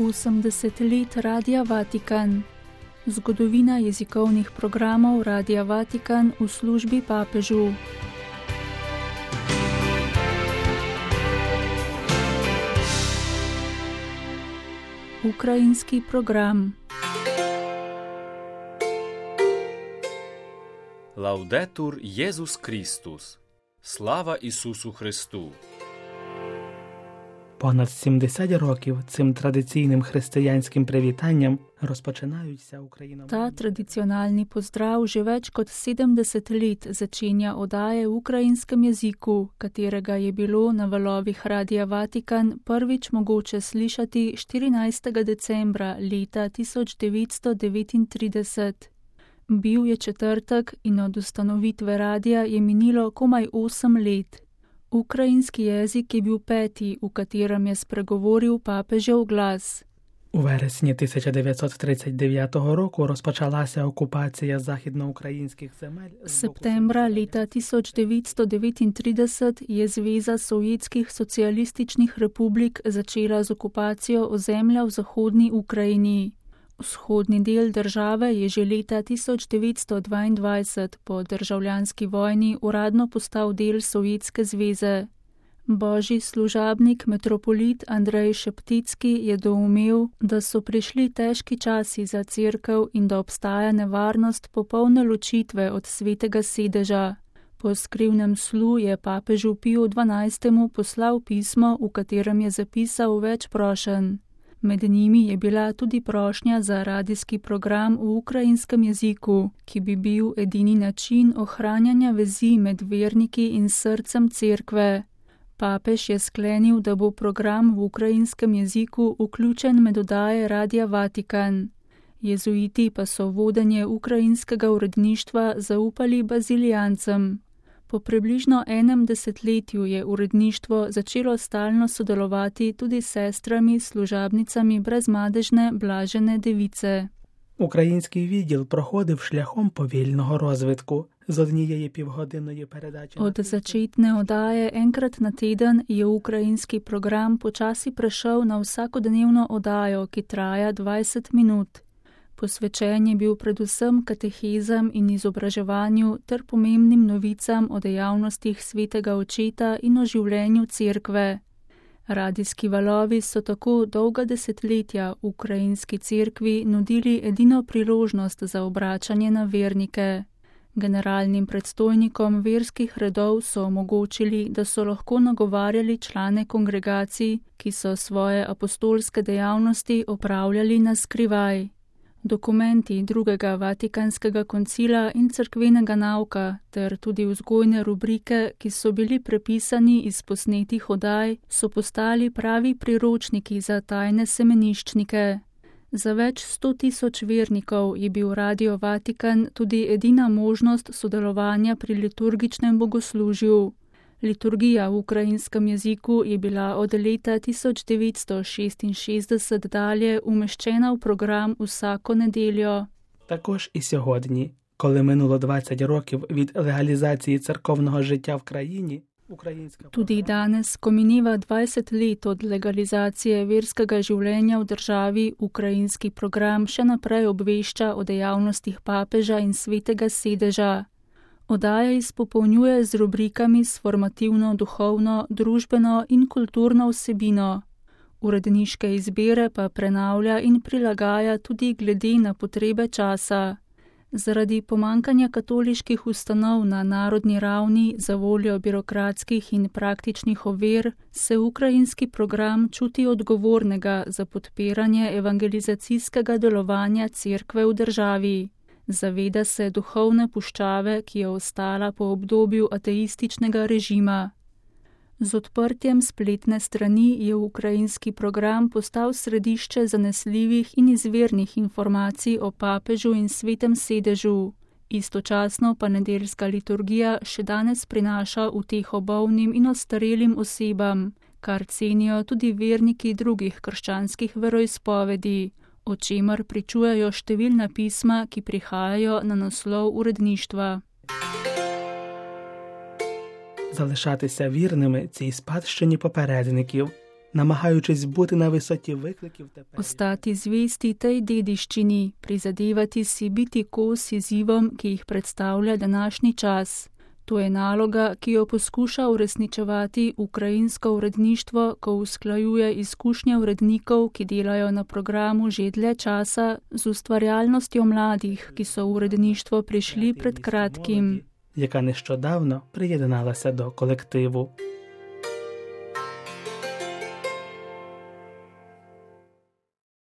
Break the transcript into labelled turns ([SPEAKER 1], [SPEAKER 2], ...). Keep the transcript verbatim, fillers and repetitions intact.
[SPEAKER 1] osemdeset let Radia Vatikan. Zgodovina jezikovnih programov Radia Vatikan v službi papežu. Ukrajinski program.
[SPEAKER 2] Laudetur Jezus Kristus. Слава Ісусу Христу!
[SPEAKER 3] Понад сімдесят років цим традиційним християнським привітанням rozpoczynаються Україна.
[SPEAKER 1] Ta tradicionalni pozdrav že več kot sedemdeset let začenja oddaje v ukrajinskem jeziku, katerega je bilo na valovih Radia Vatikan prvič mogoče slišati štirinajstega decembra leta tisoč devetsto devetintrideset. Bil je četrtek in od ustanovitve radia je minilo komaj osem let. Ukrajinski jezik je bil peti, v katerem je spregovoril papežev glas.
[SPEAKER 3] У вересні тисяча дев'ятсот тридцять дев'ятого року розпочалася окупація західноукраїнських земель.
[SPEAKER 1] Septembra leta tisoč devetsto devetintrideset je Zveza sovjetskih socialističnih republik začela z okupacijo ozemlja v zahodni Ukrajini. Vzhodni del države je že leta tisoč devetsto dvaindvajset po državljanski vojni uradno postal del Sovjetske zveze. Božji služabnik metropolit Andrej Šepticki je doumel, da so prišli težki časi za cerkev in da obstaja nevarnost popolne ločitve od svetega sedeža. Po skrivnem slu je papežu Piju dvanajstemu poslal pismo, v katerem je zapisal več prošenj. Med njimi je bila tudi prošnja za radijski program v ukrajinskem jeziku, ki bi bil edini način ohranjanja vezi med verniki in srcem cerkve. Papež je sklenil, da bo program v ukrajinskem jeziku vključen med oddaje Radia Vatikan. Jezuiti pa so vodenje ukrajinskega uredništva zaupali bazilijancem. Po približno enem desetletju je uredništvo začelo stalno sodelovati tudi s sestrami, služabnicami brezmadežne Blažene Device.
[SPEAKER 3] Український відділ проходив шляхом повільного розвитку. З однієї півгодинної передачі...
[SPEAKER 1] Od začetne oddaje enkrat na teden je ukrajinski program počasi prešel na vsakodnevno oddajo, ki traja dvajset minut. Posvečen je bil predvsem katehezam in izobraževanju ter pomembnim novicam o dejavnostih svetega očeta in o življenju cerkve. Radijski valovi so tako dolga desetletja ukrajinski cerkvi nudili edino priložnost za obračanje na vernike. Generalnim predstojnikom verskih redov so omogočili, da so lahko nagovarjali člane kongregacij, ki so svoje apostolske dejavnosti opravljali na skrivaj. Dokumenti drugega Vatikanskega koncila in cerkvenega nauka ter tudi vzgojne rubrike, ki so bili prepisani iz posnetih oddaj, so postali pravi priročniki za tajne semeniščnike. Za več sto tisoč vernikov je bil Radio Vatikan tudi edina možnost sodelovanja pri liturgičnem bogoslužju. Liturgija v ukrajinskem jeziku je bila od leta tisoč devetsto šestinšestdeset dalje umeščena v program vsako nedeljo.
[SPEAKER 3] Також і сьогодні, коли минуло двадцять років від легалізації церковного життя в країні, українська...
[SPEAKER 1] Tudi danes, ko mineva dvajset let od legalizacije verskega življenja v državi, ukrajinski program še naprej obvešča o dejavnostih papeža in svetega sedeža. Oddaja izpopolnjuje z rubrikami s formativno, duhovno, družbeno in kulturno vsebino. Uredniške izbire pa prenavlja in prilagaja tudi glede na potrebe časa. Zaradi pomankanja katoliških ustanov na narodni ravni za voljo birokratskih in praktičnih ovir se ukrajinski program čuti odgovornega za podpiranje evangelizacijskega delovanja cerkve v državi. Zaveda se duhovne puščave, ki je ostala po obdobju ateističnega režima. Z odprtjem spletne strani je ukrajinski program postal središče zanesljivih in izvirnih informacij o papežu in svetem sedežu. Istočasno pa nedeljska liturgija še danes prinaša uteho bolnim in ostarelim osebam, kar cenijo tudi verniki drugih krščanskih veroizpovedi, o čemer pričujejo številna pisma, ki prihajajo na naslov uredništva.
[SPEAKER 3] Залишатися вірними цій спадщині попередників, намагаючись бути на висоті викликів тепер.
[SPEAKER 1] Ostati zvesti tej dediščini, prizadevati si biti kos izzivom, ki jih predstavlja današnji čas. To je naloga, ki jo poskuša uresničevati ukrajinsko uredništvo, ko usklajuje izkušnje urednikov, ki delajo na programu že dlje časa, z ustvarjalnostjo mladih, ki so v uredništvo prišli pred kratkim.
[SPEAKER 3] Яка нещодавно приєдналася до колективу.